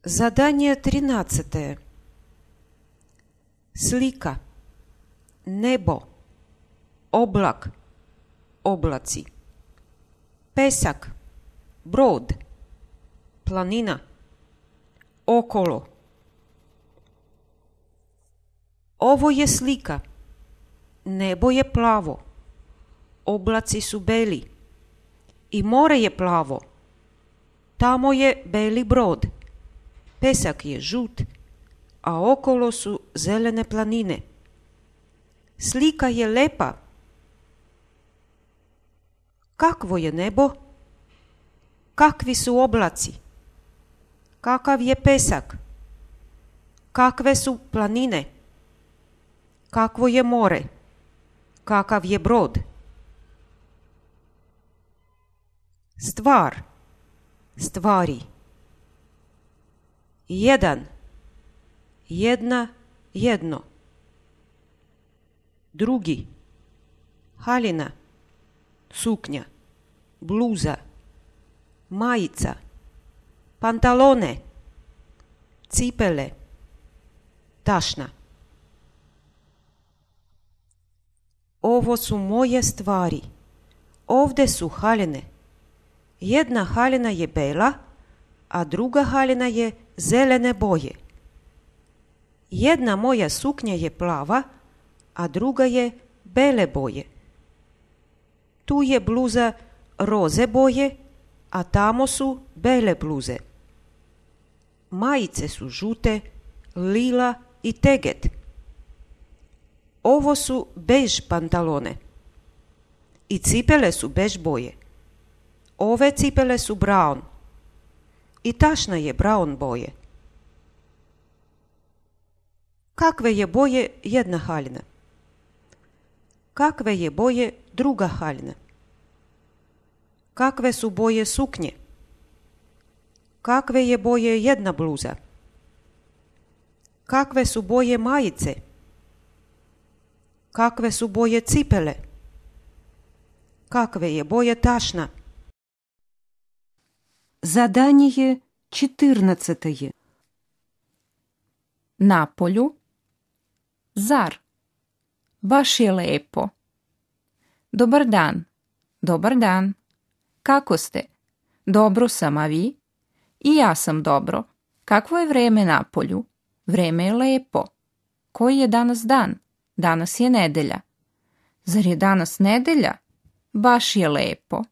Zadanje 13. Slika, nebo, oblak, oblaci, pesak, brod, planina, okolo. Ovo je slika. Nebo je plavo, oblaci su beli i more je plavo. Tamo je beli brod, pesak je žut, a okolo su zelene planine. Slika je lepa. Kakvo je nebo? Kakvi su oblaci? Kakav je pesak? Kakve su planine? Kakvo je more? Kakav je brod? Stvar, stvari. Jedan, jedna, jedno. Drugi, haljina, suknja, bluza, majica, pantalone, cipele, tašna. Ovo su moje stvari. Ovde su haljine. Jedna haljina je bela, a druga haljina je zelene boje. Jedna moja suknja je plava, a druga je bele boje. Tu je bluza roze boje, a tamo su bele bluze. Majice su žute, lila i teget. Ovo su bež pantalone. I cipele su bež boje. Ove cipele su brown. I tašna je brown boje. Kakve je boje jedna haljina? Kakve je boje druga haljina? Kakve su boje suknje? Kakve je boje jedna bluza? Kakve su boje majice? Kakve su boje cipele? Kakve je boje tašna? Zadanje 14. Na polju. Zar? Baš je lepo. Dobar dan. Dobar dan. Kako ste? Dobro sam, a vi? I ja sam dobro. Kakvo je vreme na polju? Vreme je lepo. Koji je danas dan? Danas je nedelja. Zar je danas nedelja? Baš je lepo.